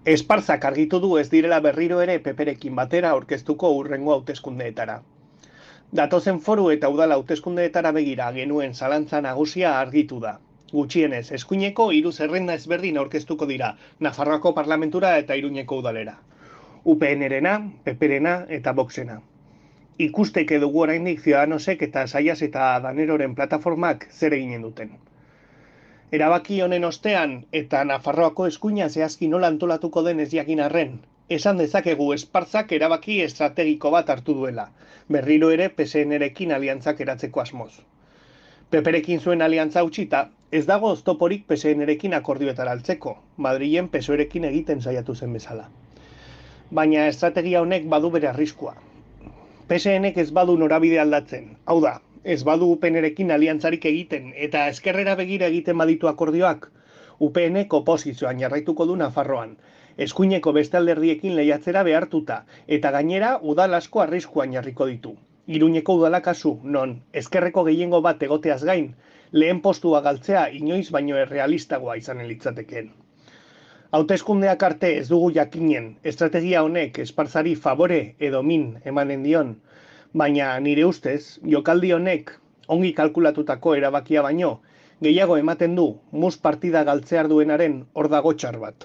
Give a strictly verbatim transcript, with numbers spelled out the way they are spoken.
Esparzak argitu du ez direla berriro ere peperekin batera aurkeztuko hurrengo hauteskundeetara. Datozen foru eta udal hauteskundeetara begira genuen zalantza nagusia argitu da. Gutxienez, eskuineko hiru zerrenda ezberdin aurkeztuko dira, Nafarroako parlamentura eta Iruñeko udalera. U P N-rena, P P-rena eta Voxena. Ikusteke dugu oraindik Ciudadanosek eta Saias eta Daneroren plataformak zer eginen duten. Erabaki honen ostean eta Nafarroako eskuina zehazki nola antolatuko den ez jakin arren, esan dezakegu Esparzak erabaki estrategiko bat hartu duela, berriro ere P S N-rekin aliantzak eratzeko asmoz. Peperekin zuen aliantza utxita, ez dago oztoporik P S N-rekin akordioetara altzeko, Madrilen P S O E-rekin egiten saiatu zen bezala. Baina estrategia honek badu bere arriskua. P S N-ek ez badu norabide aldatzen, hau da, ez badu U P N-rekin aliantzarik egiten eta ezkerrera begira egiten baditu akordioak, U P N-ek oposizioan jarraituko du Nafarroan, eskuineko beste alderdiekin lehiatzera behartuta eta gainera udal asko arriskuan jarriko ditu. Iruñeko udala kasu, non ezkerreko gehiengo bat egoteaz gain, lehen postua galtzea inoiz baino errealistagoa izanen litzatekeen. Hauteskundeak arte ez dugu jakinen estrategia honek Esparzari favore edo min emanen dion, baina nire ustez, jokaldi honek ongi kalkulatutako erabakia baino, gehiago ematen du mus partida galtzear duenaren hor dago txar bat.